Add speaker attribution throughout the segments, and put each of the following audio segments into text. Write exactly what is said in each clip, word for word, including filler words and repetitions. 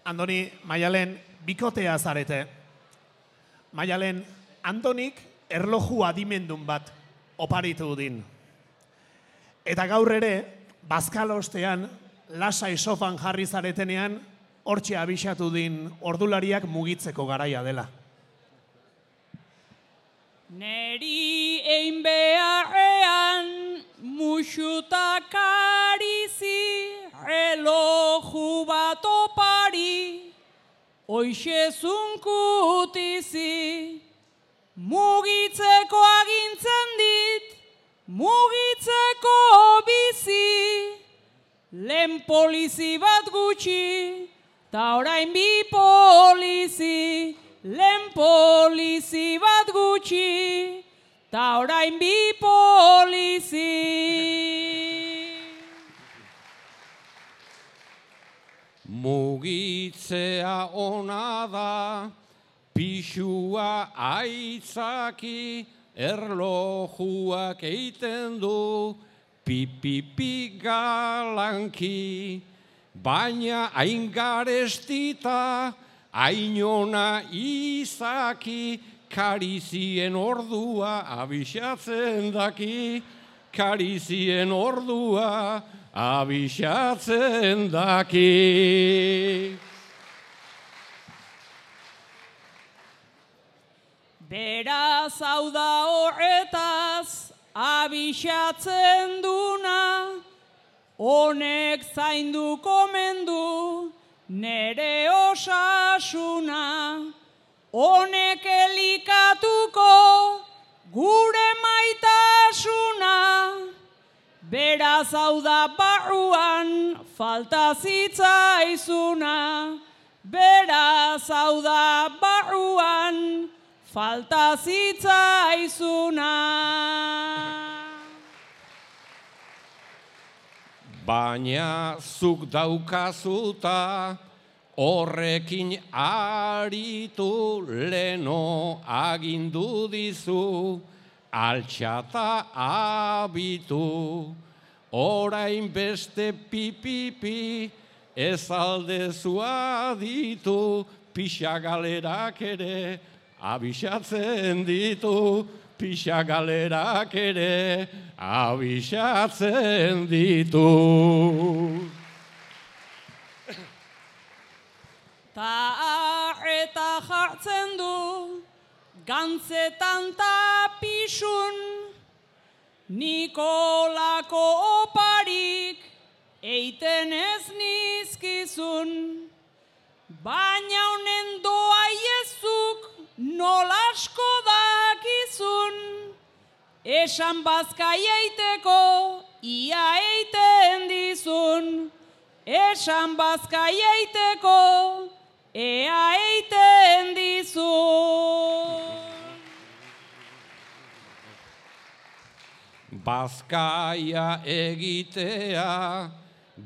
Speaker 1: Andoni, Maialen, bikotea zarete. Maialen, Andonik erloju adimendun bat oparitu din. Eta gaur ere, bazkalostean, lasai sofan jarri zaretenean, hortxe abixatu din ordulariak mugitzeko garaia dela.
Speaker 2: Neri ein beharrean musutak arizi, reloju bat opari, hoixe zunkutizi, mugitzeko agintzen dit, mugitzeko bizi, lehen polizi bat gutxi, ta orain bi polizi, lehen polizi bat gutxi, ta orain bi polizi.
Speaker 3: Mugitzea ona da, pixua aitzaki, erlojuak eiten du, pipipi galanki, baina hain garestita, ainona izaki, karizien ordua abixatzen daki, karizien ordua abixatzen daki.
Speaker 2: Beraz hau da horretaz abixatzen duna, honek zainduko mendu nere osasuna, honek elikatuko gure maitasuna, beraz hau da barruan falta zitzaizuna, beraz hau da barruan falta zitzaizuna.
Speaker 3: Baina zuk daukazuta, horrekin aritu leno agindu dizu, altxata abitu, orain beste pipipi, ez aldezu aditu, pixagalerak ere abixatzen ditu, pixagalerak ere abixatzen ditu.
Speaker 2: Ta eta jartzen du, gantzetan ta pixun, Nikolako oparik eiten ez nizkizun, baina honen doa iezuk nolasko dakizun, esan bazkai eiteko ia eiten dizun, esan bazkai eiteko ea eiten dizun.
Speaker 3: Bazkaia egitea,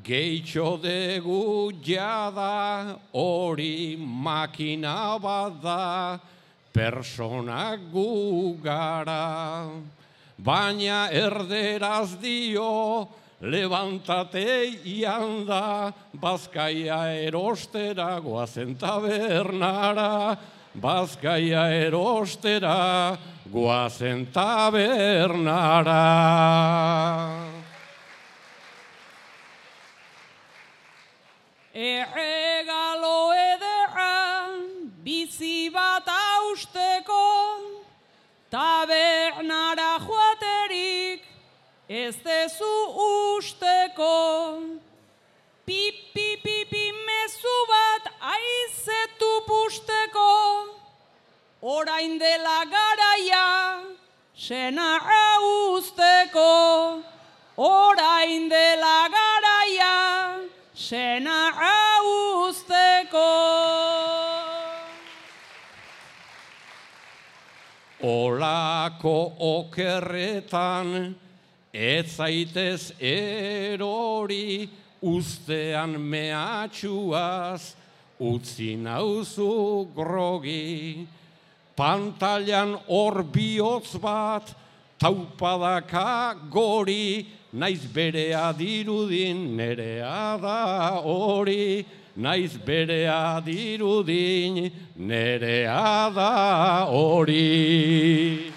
Speaker 3: gehitxo degu jada, hori makina bat da, personak gu gara. Baina erderaz dio, levantate ianda, bazkaia erostera goazen tabernara, bazkaia erostera goazen tabernara.
Speaker 2: Erregalo ederra bizi bat hausteko, tabernara joaterik ez dezu usteko. Pipi pipi mezu bat aizetu pusteko, orain dela garaia senarra usteko, orain dela garaia senarra usteko.
Speaker 3: Olako okerretan ez zaitez erori, ustean mehatxuaz utzi nauzu grogi. Pantailan hor bihotz bat taupadaka gori, naiz berea dirudin nerea da hori, naiz berea dirudin, nerea da hori.